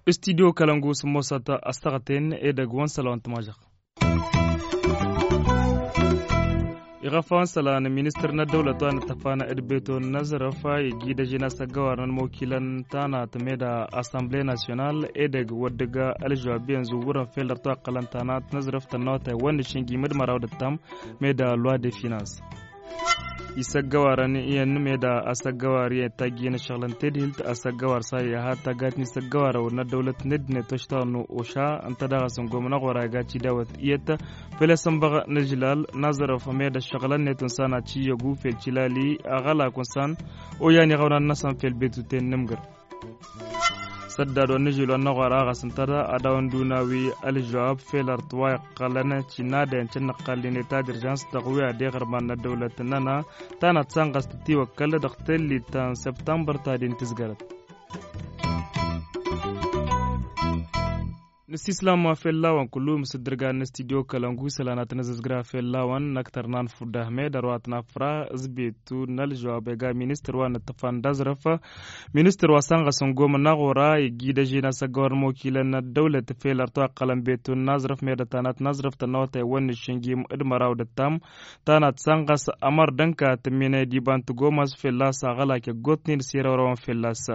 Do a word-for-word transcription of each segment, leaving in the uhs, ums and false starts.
Studyo kălăngu s-ămoosăt ăstăɣăten edăgg wa n-sălăwăn tămažăɣt. Iɣăfawăn sălan ministăr n-ăddăwlăt wa n-ăttăfan d-beto n-azrăf iji d-ažen asăggăwar n-ălmokilăn tanat meda assemble national edăgg wăr dăgg-ălžăwab iyyăn zuwwărăn fel dăr-twaqqălăn tanat n-azrăf tănnawătay wănnăššin gimǝd măraw d-ăttam meda loi de finans. Isăggăwarăn iyyăn meda asăggăwar iyyăn tajjin ăššăɣlăn tedhilt asăggăwar sa iha taggat n-isăggăwarăwăn n-ăddăwlăt n-ăddinăt oštaɣ n-oša ǝnta daɣ asǝngomăn aɣora iga cidawăt iyyăt. Fel i-asǝnbăɣ n-ažlal n-aẓrăf meda ăššăɣlăn-net unsan ad-tiyyăgu fel tilali aɣălak unsan oyan iɣăwnan-năsăn fel betuten n-amgǝr. Săddad wa n-ažil wa n-aɣora ɣas ǝnta ad-dawăn-dd-unawi ălžăwab fel ărḍ wa iqqălăn cinadăyăn cănnăqqal lineta d-urjans dăɣ-wi ad-iɣrǝman n-ăddăwlăt-nănăɣ. Tanăt sanɣăs tătiwăkkăl dăɣ-tellit ta n-săbtămbăr ta din tǝzgărăt. Nǝsislam fell-awăn kullu mǝsǝddǝrgan n-studyo kălăngu isălan ad-tăn-ăzǝzgra fell-awăn n-ăktăr n-anfud ahmed ărwa tăn-afra s-betu n-ălžăwab ega ministăr wa n-ǝṭṭăfan d-aẓrăf. Ministăr wa sănɣăsăn gomăn n-aɣora igi d-ažen asăggăwăr n-imokilăn n-ăddăwlăt fel ărtwa ăqqălăn betu n-aẓrăf medătanat n-aẓrăf tănnăwătay wănnăššin gim d-măraw d-ăttam. Tanat sănɣăs ămăr d-ănka tǝmminăy d-iba n-tǝgomăs fell-a-s aɣălak iggotnen s-irăwrăwăn fell-a-s.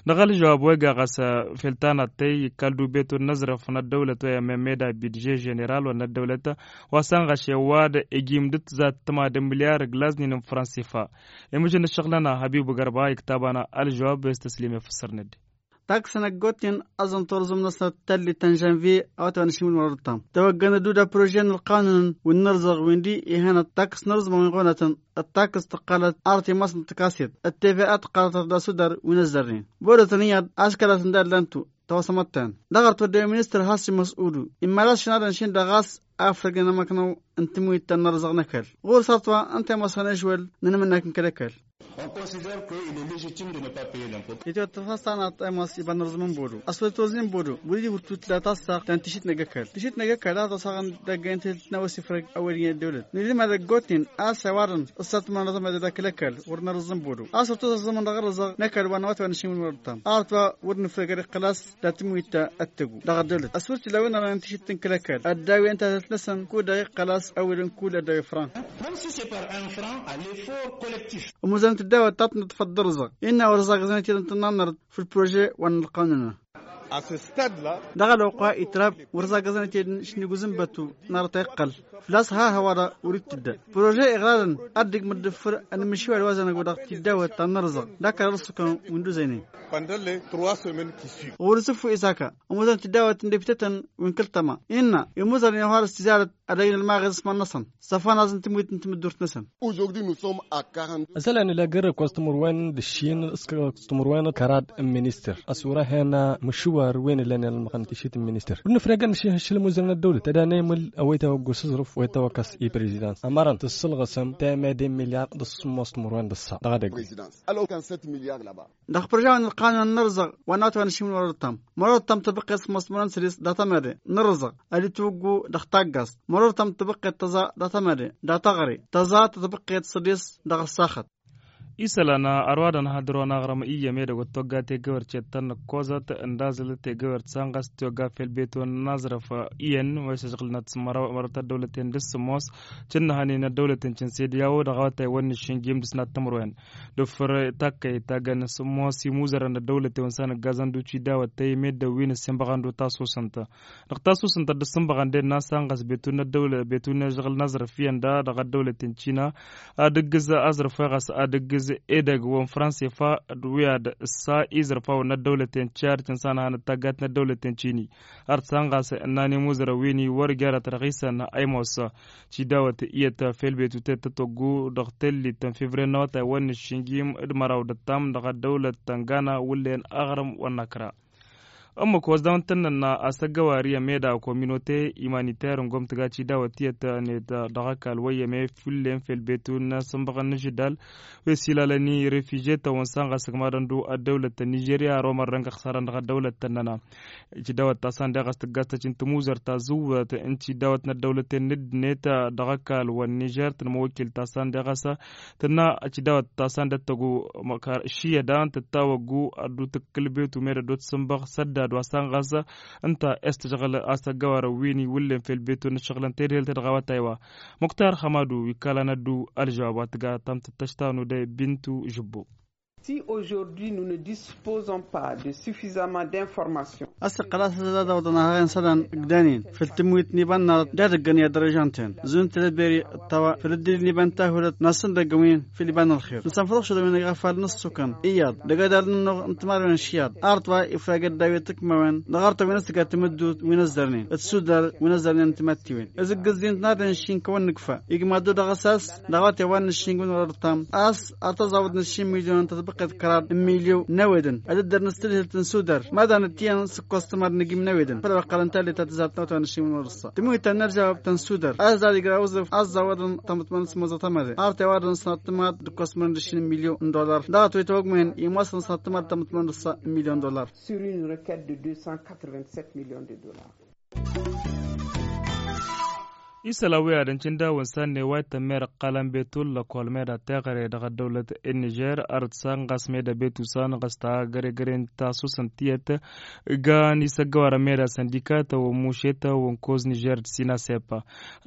Dăɣ-ălžăwab wa iga ɣas fel tanat tey ikkăl-dd ubetun n-aẓrăf n-ăddăwlăt wa i-ămmemmeda bidže ženeral wa n-ăddăwlăt wa sănɣăš i-ăwadǝm ijim dd-tǝzat tǝmadǝm milyar ǝglaznen n-fransifa. Imǝžăn ǝššăɣǝl-nănăɣ hăbibu gărba iktaban ălžăwab s-tăslim i-fǝssărnet. Taksăn ăggoten ăẓẓăn turǝẓǝm-năsnăt tăllit ta n-žănvye a-wa t-wa n-ašimǝl măraw d-ăttam tăwăggăn ădduda prože n-ălqanunăn wi n-inǝrẓăɣ wi n-di ihănăt taks n-irǝẓmăn wi n-iɣonatăn. D-taks tǝqqălăt arăt imasnăt tăkasiyăt d-teva tǝqqălăt arăt d-asudar wi n-ăzzărnen. Bădotăn iyyăḍ a-s kăratăn d-allantu tăwăsămăttăn dăɣ-arăt wădden ministăr has-imăsud-u immălas šinadăn šin dăɣ-a-s afrăgnen amăknăw n-tǝmwit ta n-inǝrẓăɣ n-ăkall. Ɣur-s arăt wa ǝnta i-măsăn ašwăl n-anmǝnnak n-kăl-ăkall. Itwăt tăfas tanăt a-s iba n-arǝẓmăn bodo ăswăl toznen bodo wăr-dd-ihurtut la tassaɣt ta n-tišit n-egg-ăkall tišit n-egg-ăkall ad-ăssaɣăn d-aggăyăn tihǝlt n-a-wa s-ifrăg ăwwăl-in i-ăddăwlăt nǝdǝm ad-ăggoten a-s ăwarăn ǝssatmăn ăẓămăd d-akǝl-ăkall wăr nărǝẓẓăn bodo a-s ărtos ăẓẓămăn dăɣ-arǝẓăɣ n-ăkall wa n-a-wa t-wa n-ašimǝl wăr-ăttam arăt wa wăr nǝfrăgăr iqqăl a-s datǝm wi ta ăttăgu dăɣ-ăddăwlăt ăswăr tila wi n-ărăn tǝšit n-kăl-ăkall ăddawi ǝnta a tăt-năsăn kud-dăɣ iqqăl a-s ăwwăl n-kull ăddawi fran. Ămuzănăt ăddawăt ta tǝnnăḍfăt d-arǝẓăɣ innă wăr ăẓagăẓăn itedăn tănnanărt făll-prože wa n-ălqanun-nănăɣ. Dăɣ-ălwăqq wa itrab wăr ăẓagăẓăn itedăn šiniguzǝnbătu n-arăt a iqqăl făl-a-s ha hăwa-dăɣ wăr-dd-tǝdda prože iɣradăn ad-dd-ǝgmǝd d-ǝffǝr ănmǝššiwal wa zănăgo dăɣ-tiddawăt ta n-arǝẓăɣ d-akăr ărǝsǝkăn wi n-duzăynen. Ɣur-s ǝffu isaka ămoosăn tiddawăt n-deptetăn wi n-kăl-tăma innă imuzărăn i-ad-harăs tizarăt ad-ăjǝn ălmaɣez s-iman-năsăn s-ăfănaz n-tǝmwit n-tamǝddurt-năsăn. Ăsălan ila gărrek wa s-timǝrwen d-ǝššin s-timǝrwen kărad n-ministăr ăswăr-ahen mǝšwar wi n-ǝllan i-almăɣăn tišit n-ministăr wăr nǝfreg ad-nǝššǝl imuzărăn ăddăwlăt ad-anăymǝl ăwăyta wa ăggus aẓrǝf wa itawăkkăs i-prezidant ămărăn tǝssǝlɣǝsăm temăde n-milyar d-ăssǝmmos timǝrwen d-ăṣṣa dăɣ-edăgg. Dăɣ-părjawen ălqanun n-inǝrẓăɣ wa n-a-wa t-wa n-ašimǝl wăr-ăttam măraw d-ăttam tibăqqet s-măsmărăn sădis data-măde n-inǝrẓăɣ ad-itwǝggu dăɣ-taggaẓt măraw d-ăttam tibăqqet tăẓa data-măde data-ɣre tăẓa tibăqqet sădis dăɣ-ăssaxăt. Isălan ărwadăn hadăr-wăn aɣrăm iyyăm edăgg wăr t-togga tegăwert cettăn n-ǝkkoẓăt ǝndazăl tegăwert sanɣăs tiwăgga fel beton n-aẓrăf iyyăn wa s-ăžɣǝlnăt măraw măraw ta ăddăwlăten d-sǝmmos cǝnnăhăn-in ăddăwlăten cǝnsedyawo dăɣ-awătay wănnăššin gimdǝs n-ad-tǝmrwen d-ǝffǝr takkăyt ta găn sǝmmos imuzărăn n-ăddăwlăten wa s-anăggazăn d-uci dawăt tăyy meddǝn wi n-ǝssinbăɣăn d-utasusǝnt. Dăɣ-tasusǝnt a dd-ǝssǝnbăɣăn d-ennă a sanɣăs betu n-ăddăwlăt betu n-ežăɣǝl n-aẓrǝf iyyăn da dăɣ-ăddăwlăten cina ad-ǝggǝz aẓrǝf wa ɣas ad-ǝggǝz edăgg wa n-fransa ifa d-wi ad-ǝssa iẓrǝfawăn n-ăddăwlăten cad cǝnsanăhăn d-taggat n-ăddăwlăten cini. Ar t-sanɣas ǝnnan imuzărăn wi n-iwwăr jarăt răɣisăn a imossa cidawăt iyyăt fel betu ted tătwăggu dăɣ-tellit n-fevriye n-awătay wănnăššin gim d-măraw d-ăttam dăɣ-ăddăwlăt tăngana wǝllen aɣrǝm wănnăkra. Ămmăk wa s-dawăn tănnănna a-s ăggăwari ămeda kominote imaniter n-gomtăga cidawăt tiyyăt-net dăɣ-ăkall wăyyăme, fullen fel betu n-asǝnbăɣăn n-ažǝdal wi s-ilalăn i-refiže-tăn wăn s-anɣas ǝgmadăn-du ăddăwlăt ta n-nižerya ar omărrăn găɣ sarăn dăɣ-ăddăwlăt tănnăna. Cidawăt ta s-ande ɣas tǝggas tăcin tămuzărt ta zǝwwăt n-cidawăt n-ăddăwlăten n-ǝddǝnet dăɣ-ăkall wăn nižer tǝnmăwăkkil ta s-ande ɣas tǝnna cidawăt ta s-ande tăggu. Šiyădan tǝttawăggu ad-dd-tǝkkǝl betu med ăddoot-sǝnbăɣ săddad wa s-anɣas ǝnta estăžɣǝl a-s ăggăwarăn wi n-iwǝllen fel betu n-ǝššăɣǝlăn tedhelt dăɣ-awătay wa. Muktar hămadu ikkalan ad-dd-u ălžăwab wa tǝga tamtăt tăštanu de bintu žǝbbu. Si aujourd'hui nous ne disposons pas de suffisamment d'informations. A-s iqqăl a-s ad-dd-awăḍăn ahăɣen isălan ǝgdanen făll-tǝmwit n-iba n-inarăt d-ad-ǝggăn i-ad-dăr-ižan-ten zun tălăberi ăttăwa făll-ǝddǝlil n-iba n-tahulăt n-asǝndăgg wi n-făll-iba n-ălxer nǝsănfăḍ ušăḍăn wi n-egafal n-ǝssukăn iyyăḍ dăgg-adal n-ănnuɣ n-timarwen n-išiyaḍ arăt wa ifrag ăddaw i-tǝkmawen dăɣ-arătăn wi n-ăssǝga tamǝddut wi n-ăzzărnen d-sudal wi n-ăzzărnen n-timattiwen. Ǝzǝggǝzzin-tăn ad-ănšin kăwăn-nǝkfa igmad-du dăɣ-s a-s dăɣ-awătay wa n-ǝššingǝwăn wăr-ărtam a-s ar tăẓawăḍ n-ǝššin milyon n-tătbăqqet kăraḍ n-milyon n-ewedăn ad-dd-ărnǝs tadhǝlt n-sudăr mad-anăt iyyăn s-ǝkkoẓ tǝmad n-ǝgim n-ewedăn făll-ăqqălăn tallit ta tǝzzar tănăwătay wa n-ǝššingǝwăn wăr-ǝssa tǝmuyǝt ta n-ărjawăb ta n-sudăr a-s dad-igra uzǝf a-s zawăḍăn tamǝtmăn s-măẓăt amăde arătay wa dăɣ-nǝsnăt tǝmad d-ǝkkoẓ mărăn d-ǝššin n-milyon n-dollar dăɣ-ătwăy tawăgmăyăn imwasăn s-năt tǝmad tamǝtmăn d-ǝssa n-milyon n-dollar. Sur une requête de deux cent quatre-vingt-sept millions de dollars. Isălan wi ad-ăncǝn dawăn s-anne wa itămmer ǝqqalăn betul lăkol meda teɣăre dăɣ-ăddăwlăt n-nižer arăt s-anɣas meda betu s-anɣas ta găregăren ta susăn tiyyăt. Gan isăggăwarăn meda săndikatăn wăn mušetăn wăn koz nižer d-sinasepa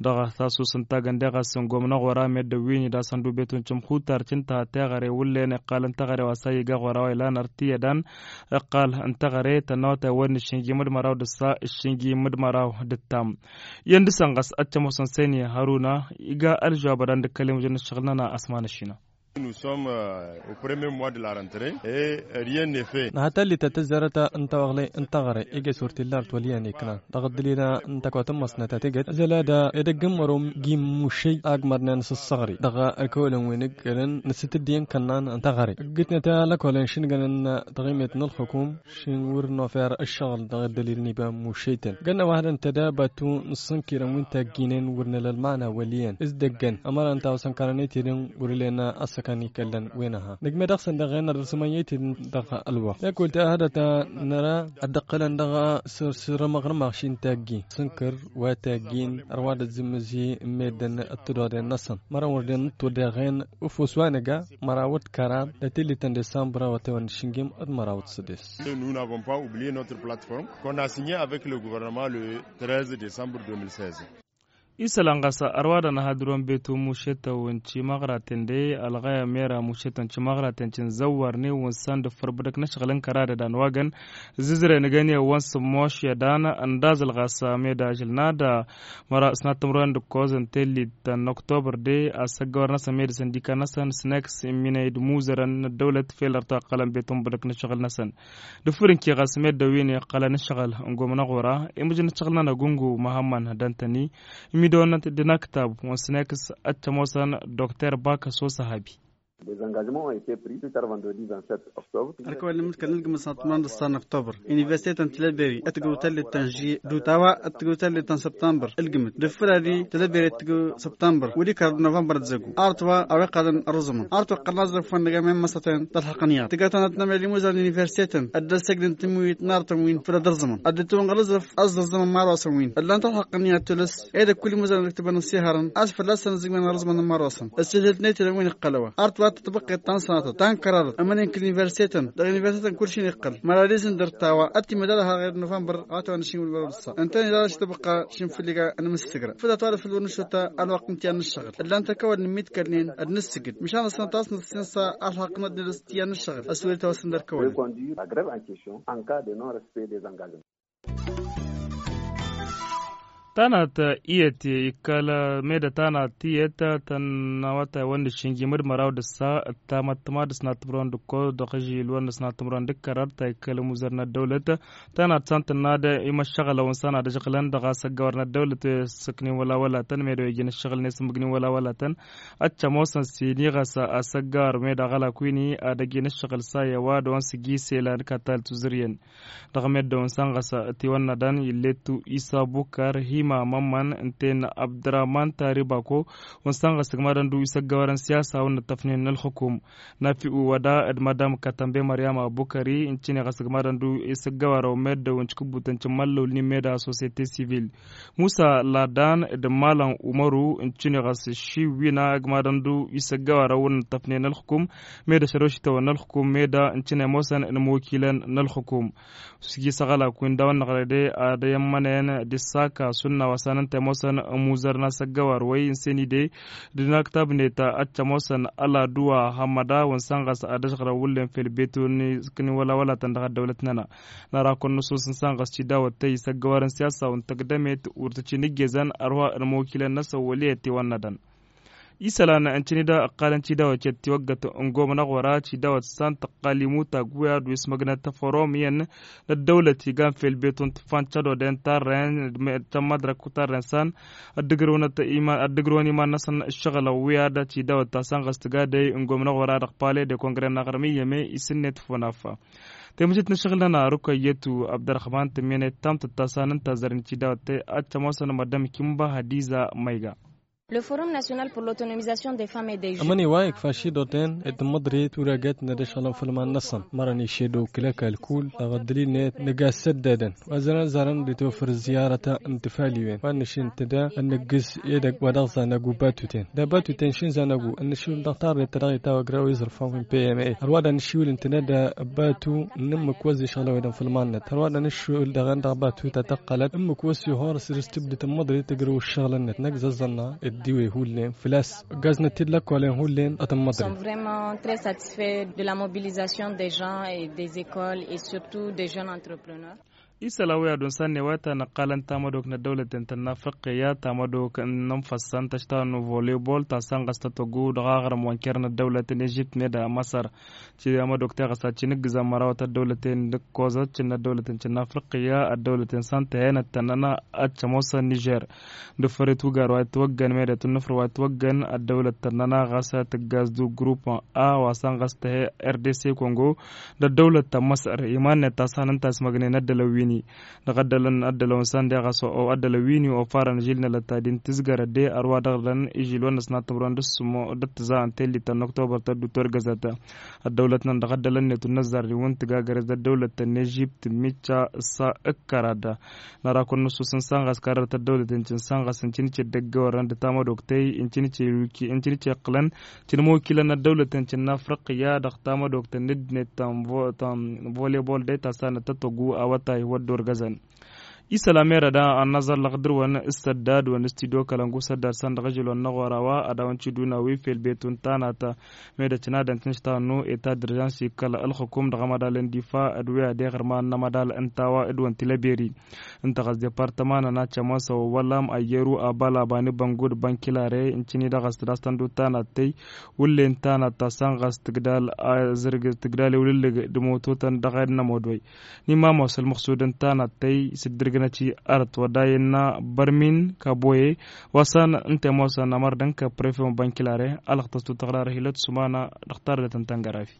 dăɣ-ta susăn tagănde ɣas n-gomnăɣ wăr-amedăwin-i d-asăn du betu n-cǝmxutar cǝnta teɣăre wǝllen iqqalăn teɣăre wa s-a iga ɣur-a-wa ilan ărtiyyădan. Iqqal n-teɣăre tănnăwătay wăr n-išǝnjim d-măraw d-ǝssa išǝnjim d-măraw d-ǝttam. Iyyăn dăr-săn ɣas ad-t-ămoosăn săyni hăruna iga ălžăwab ad-an dd-ǝkkălem ǝjăn ǝššăɣǝl-nănăɣ asman ăššină. Nous sommes au premier mois de la rentrée et rien n'est fait. Nǝha tallit ta tǝzzarăt n-tawăɣle n-teɣăre iges wăr t-illa arăt wăl' iyyăn iknan dăɣ-ăddălil n-takawt n-măsnăt ta tǝgget ăzăl ad-a edăgg n-mărom g-imušăy agmăr n-enăs ăṣṣăɣri dăɣ-ălkăwălăn wi n-ǝggălăn n-asǝtǝddǝyăn kănnan n-teɣăre ǝggǝtnăt alăkolăn šǝngănăn taɣimet n-ălxukum šin wăr n-ofer ǝššăɣǝl dăɣ-ăddălil n-iba mušăytăn gănna wa hădăn tădabatu n-ǝssǝnkirăn wi n-tagginen wăr nǝla ălmana wăl' iyyăn s-dăggăn ămăra ǝnta a osăn karăn itidǝn wăr ǝllen ăssăkan ikăllăn wi n-aha nǝgme dăɣ-săn dăɣ-en ad-ărsǝmăn i-itidǝn dăɣ-ălwăqq i-ad-kul-ta hădăt a năra ad-dd-ăqqǝlăn dăɣ-săr-săr ămăɣrǝm aɣšin taggi sǝnkăr wa taggin ărwa d-ăzzǝmmǝzi n-meddǝn d-tǝddoḍen-năsăn mărăn wăr den n-tuddeɣen ufus wa nǝga măraw d-kăraḍ d-tillit n-disambăr a wătewăn d-išǝnjim d-măraw d-sădes. Nous n'avons pas oublié notre plateforme qu'on a signée avec le gouvernement le treize décembre deux mille seize. Isălan ɣas ărwadăn ahadǝr-wen betu mušetăw n-timăɣraten de ălɣăyăm mera mušetăw n-timăɣraten cǝnzăwwărnen wǝnsan d-ǝffăr bǝdăk n-ašăɣǝl n-kăradăd anwagăn zǝzrăy n-egăne wa n-sǝmmošyădan ăndazăl ɣas meda ažǝlna d-măra s-năttămrăwen d-ǝkkoẓ n-tellit ta n-oktobăr de a-s ăggăwăr-năsăn meda săndika-năsăn s-neks imminăy d-imuzărăn n-ăddăwlăt fel ărta ăqqălăn betu n-bǝdăk n-ašăɣǝl-năsăn d-ǝffǝr n-kiɣas medda wi n-iqqălăn ǝššăɣǝl n-gomnăɣ ɣur-a imǝjǝn ǝššăɣǝl-nănăɣ gungu măhămmăn dăntăni imidăwăn d-inăktab wa n-sǝneks ăttămoosăn dokter bakăso săhabi. Ălkăwăl n-imǝdkăl n-ǝlgǝmǝt s-năttămrăn d-ăssan n-oktobăr universite ta n-tilăberi ătgăw tallit ta n-žuye d-utawa ătgăw tallit ta n-săbtămbăr ǝlgǝmǝt d-ǝffǝr-adi tilăberi ătgăw săbtămbăr wăr-ikărăd novămbăr d-zăggu arăt wa a-wa iqqălăn ărrǝẓǝmăn arăt wa iqqălăn aẓrǝf wa n-nǝga men măsăten d-ălxăqq n-iyyăḍ tǝggatăn ad-t-nămel imuzan n-universite-tăn ăddăr-săgdǝn tǝmmǝwit n-arătăn wi n-făll-ad-ărrǝẓǝmăn ad-dd-tǝwănɣăl aẓrǝf ăẓẓărẓǝmăn marosăn wi n-ăllan talxăqq n-iyyăḍ tulǝs ed ăkk wăl-imuzan ad-ǝktǝbăn ăssihărăn a-s fălla-săn ăzzǝgmăn ărrǝẓǝmăn n-marosăn ăssiilhǝlt n-etălăn wi n-iqqăl a-wa arăt wa tătbăqqet ta n-sănatăt ta n-kăraḍăt ămănen kăl-universite-tăn dăɣ-universite-tăn kull šin iqqăl măra d-izǝn dăr-tawa ad-t-imăd alăha ɣer novămbăr a wa tăwăn ašin wăr-dd-ăssa ǝntănen dăɣ-ašăt tăbăqqa šin făll-iga n-amǝssǝgra făll-a tawălăf făll-wăr nǝšota ălwăqq n-tiyyăn n-ǝššăɣǝl ǝllan-t ăkawăl nǝmmidkălnen ad-nǝssǝgǝd măšan ăssănăt a-s nǝssin s-alxăqq n-ad-nǝdăs tiyyăn n-ǝššăɣǝl ăswăr-i tawăsăn d-ărkăwălăn. Tanat iyyăt ikkăl meda tanat iyyăt tăn-awătay wăn n-iššinjim d-măraw d-ǝssa ǝttamăttăma d-ăsnat timǝrwen d-ǝkkoẓ dăɣ-ažil wăn n-ăsnat timǝrwen d-kărărt ta ikkăl ămuzăr n-ăddăwlăt. Tanat san tǝnna d-imăššăɣǝlăwăn san ad-ăžɣǝlăn dăɣ-a-s ăggawăr n-ăddăwlăt. Sǝknin wăla wălatăn medaw ijin ǝššăɣǝl n-esǝmbǝgnin wăla wălatăn. Ad-t-ămoosăn s-iniɣăs a-s ăggawăr medaɣ ălak win-i ad-ăjin ǝššăɣǝl s-a i-ăwadǝwăn s-iji s-elan katal tuzǝryăn. Dăɣ-meddǝwăn săn ɣas tiwănnădăn ill'-e-t isa bukar hima mămmăn ǝnta-en abdărahman taribako. Wăn săn ɣas ǝgmadăn du isăggăwărăn siyasa wăn n-ăṭṭăfnen n-ălxukum. Nafi'u wăda d-madam katănbe măryama bukări ǝncǝne ɣas ǝgmadăn du isăggăwărăn meddǝwăn cikǝbbutăn cǝmmăllăwǝl n-immeda sosiyete sivil. Musa ladan d-malăn umăru ǝncǝne ɣas šiwina ǝgmadăn du isăggăwărăn wăn n-ăṭṭăfnen n-ălxukum. Meda šărošităwăn n-ălxukum meda ǝncǝne ămoosăn n-imwăkilăn n-ălxukum. Sǝjjǝsăɣ ălak wi n-dawăn-năɣ rede ad-ăyămmănăyăn d-issaka sunna wa s-an ǝnta ămoosăn ămuzărna s-ăggăwar wăy n-senide d-inaktabnet ad-t-ămoosăn ăladuwa hămmăda wăn săn ɣas ad-ăžɣărăn wullen fel betu n-iskǝni wăla-wălatăn dăɣ-ăddăwlăt-nănăɣ. Năra kăwăn-năsoos n-săn ɣas tidawăt tăy s-ăggăwar n-siyasa wa n-tăgdămet wăr tăt-in-ǝggezăn ărwa ănmăwăkilăn-năsăn wăl' iyyăt iwănnădăn. Isălan ǝncǝn-i-dăɣ ǝqqalăn tidawăt i-ăttiwăggăt n-gomnăɣ wăra tidawăt s-an tăqqal imutag wi ad-wi s-măgnăt tăfăromyăn n-ăddăwlăt igan fel betu n-tǝffan cădoden tarren d-mădrăk tarren s-an ăddǝgrǝwăn iman-năsăn ǝššăɣǝlăn wi ad-tidawăt ta s-an ɣas tǝgadăy n-gomnăɣ wăra dăɣ-pale de kongre n-aɣrǝm iyyăme isǝnnet făw n-affa. Temăšit n-ašăɣǝl-nănăɣ rukăyyătu abdărrăhman tǝmmenet tamtăt ta s-an ǝnta zărăn tidawăt te ad-t-ămoosăn măddăm kimba hadiza măyga. Le forum national pour l'autonomisation des femmes et des jeunes. Ămăni wa ikfa šidoten d-măḍri turăgăt n-ad-ăšɣălăn făll-iman-năsăn mărăn išedo kǝlăk ălkull dăɣ-ăddălil-net nǝga s-săddădăn wa zărăn zărăn d-tofăr ziyarăt n-tǝfaliwen wa n-ašin tǝda n-nǝggǝs edăgg wa dăɣ-zanăgu batuten da batuten šin zanăgu n-ašin dăɣ-tarret ta dăɣ-itawăgra wa iẓrǝfan wi n-pma. Ărwa da n-ašiwǝl n-tǝda da batu n-ǝmmǝk wa ăzzišɣǝlăwedăn făll-iman-net ărwa da n-ašiwǝl dăɣ-en dăɣ-batu ta tăqqălăt ǝmmǝk wa ăssihor s-dd-tǝmmăḍri tǝgrǝw ǝššăɣǝl-net năgg zăẓẓănna ăddiwe hullen făl-a-s ǝggazna-t-dd lăkkolăn hullen ad-tǝmmăḍri. Sont vraiment très satisfaits de la mobilisation des gens et des écoles et surtout des jeunes entrepreneurs. Isălan wi ad-unsan n-ewăyăt a năqqalăn tamădok n-ăddăwlăten tănna afriqqiya tamădok n-ănfăssăn tăštawăn n-volebol ta săn ɣas tătwăggu dăɣ-aɣrǝm wa n-ker n-ăddăwlăt n-ežipt meda măsăr. Ci amădok teɣăs ad-t-in-ǝggǝzăn mărawăt ăddăwlăten d-ǝkkozăt cǝnna ăddăwlăten cǝnna afriqqiya ăddăwlăten săn tăhenăt tănnăna ad-t-ămoosăn nižer. D-ǝffăret ugar wa itwăggăn medet n-nǝfr wa itwăggăn ăddăwlăt tănnăna ɣas tǝggaz d-ugrupăn a wa săn ɣas tăhe r d c kongo d-ăddăwlăt ta n-măsăr iman-net ta săn ǝnta a-s măgnen ăddălăn wi-ni. Dăɣ-ăddălăn ăddălăn wa săn deɣ a-s ăddălăn wi-ni ofarăn žil n-elăt ta din tǝzgărăt de ărwa dăɣ-dăn ižil wa n-ăsnat timrăwăn d-ǝssǝmo d-ăttǝza n-tellit ta n-oktobăr tăddu torgăzăt. Ăddăwlăt-năn dăɣ-ăddălăn-net wa n-năzzar-ni wǝnn tǝgagărez d-ăddăwlăt ta n-ežipt micca s-ǝkkărad. Năra kăwăn-nǝssus n-săn ɣas karrăt ăddăwlăt n-cǝn săn ɣas n-cǝnǝce dd-ăggăwărăn d-tamădok tăy n-cǝnǝce iqqǝlăn cǝnmăwkilăn ăddăwlăt n-cǝn n-afriqya dăɣ-tamădok ta n-ǝddǝnet ta n-volebol de ta s-anăt tătwăggu awătay wăr dd-orgăzăn. Isălan merăd a ănnăẓăllăɣ dăr-wăn s-săddad wăn s-t-dd-okălăn gu săddad săn dăɣ-ažăl wăn n-aɣora wa ad-awăn-t-dd-una wi fel betu n-tanat. Medăt n-ad-ăntǝnš tannu eta d-urjans ikkăl ălxukum dăɣ-amădal n-difa d-wi ad-eɣrǝma n-amădal n-tawa d-wăn tilăberi. Ǝnta ɣas departăma n-anăt cămosăw wăllam ăyyăru abal abanibăngu d-bănkilare n-cǝni dăɣ-s tǝdastăn d-uttan ad-tăy wǝllen tanăt ta săn ɣas tǝgdal azǝrg tǝgdal ewlǝllǝg d-mototăn dăɣ-ed n-ămodwăy. N-imamos ălmăxsud ǝnta ad-tăy s-dd-ǝrgǝnăt i-arăt wădday ǝnna bărmin kaboye wa săn ǝnta ămoosăn ămăr d-ǝnkăp prefe wa n-bănkilare. Alăɣtăs tutăɣrarăh ilăt sumana dăɣ-tardet n-tăngărafi.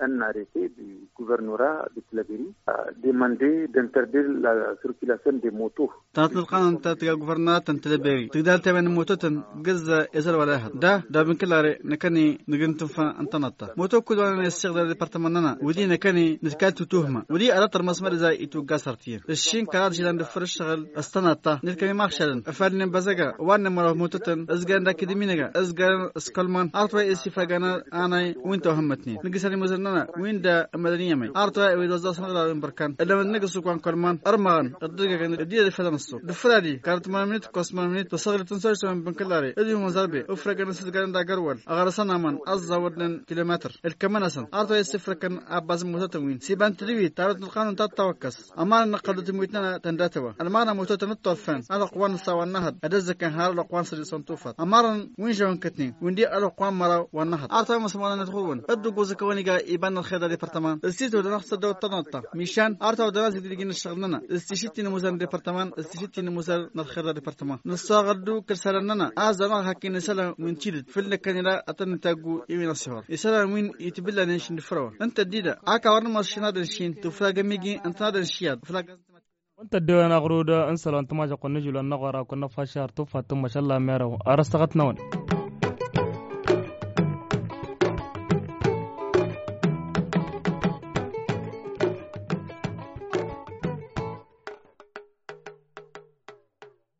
Un arrêté du gouvernorat de Tilaberi a demandé d'interdire la circulation des motos. Tănăt-năt qanăn ta tǝga guvernarat n-tilaberi tǝgdal temen n-mototăn gǝzza ezăl wăla ehăḍ da da bǝnkǝlare năkăni nǝgǝn tǝnfa n-tănăḍt-ta moto kud wa năn essiɣdăr departămăn-nănăɣ wǝddi năkăni nǝtkad tutuhma wǝddi ad-ăṭṭăr măsmăr izay itwǝgga sărtiyăn. Ǝššin kăraḍ žilăn d-ǝffăr ǝššăɣǝl s-tănăḍt-ta nǝtkăni maɣšalăn ăfalnen băzăga wa n-nămăraw mototăn ǝzgărăn d-akǝdǝmi-năga ǝzgărăn s-kălman arăt wa i-ăsifagăn anay wi n-tohămmătnen nǝggǝsăn imuzăn. Win-da ămădăn i-emăy arăt wa ewed oẓẓasăn ălwawin bărkan ălămăd n-egg ăssuk wa n-kăl-iman ărmăɣăn ăddăgagăn ăddinăt ifălăn ăssuk d-ǝfradi karăt tămamnit kosmamnit tăsăɣlit n-săr-s ămănbǝnkǝl are ădwi muzărbe ǝfrăgăn ăssǝdgalăn d-agărwăl. Ăɣrăsăn aman ăẓẓawădnen kilometăr ǝlkămăn-asăn arăt wa i-ǝssǝfrăkăn abbaz n-mutătăn win s-iba n-tǝdǝwit tarăt n-ălqanun ta t-tawăkkăs. Ămarăn n-ăqqăl d-tǝmwit-nănăɣ tăndatăwăn ălmăɣna mutătăn d-turfen ălwăqq wa n-ǝssa wa n-năhăḍ ad-ăzzăkăn har ălwăqq wa n-sădis wa n-tufăḍ ămarăn wi n-žăwăn kătnen wi n-di ălwăqq wa n-măraw wa n-năhăḍ arăt wa măsmăḍăn i-ad-ɣur-wăn. Dd-ǝggozăkăwăn iga iba n-ălxer d-adepărtăman s-titwădăn ad-tăsăddăwăt tăḍnăḍta mišan arăt wa ăwdăn ad-sǝgdǝjǝn ăššăɣǝl-nănăɣ s-tišǝttin n-imuzărăn d-adepărtăman s-tišǝttin n-imuzărăn n-ălxer d-adepărtăman. Nǝssoɣăl d-ukǝl isălan-nănăɣ a-s dăɣ-năɣ hak-in isălan wi n-tidǝt fǝll-năkkăn ila ad-tăn-nǝtaggu i-wi n-ăṣṣihor isălan wi n-itbǝllanen šindǝfrăwăn. Ǝnta dd-ida a-k a wăr nǝmăr šin ad-ănšin tufragăm iji ǝntăn ad-ănšiyad. Wăn tăddewen aɣrud n-isălan tămažăɣt kăwăn-nǝžul wa n-năɣora kăwăn-năfašar tufa tǝmmăš ălla merăw. Ar ăstăɣăt-năwăn.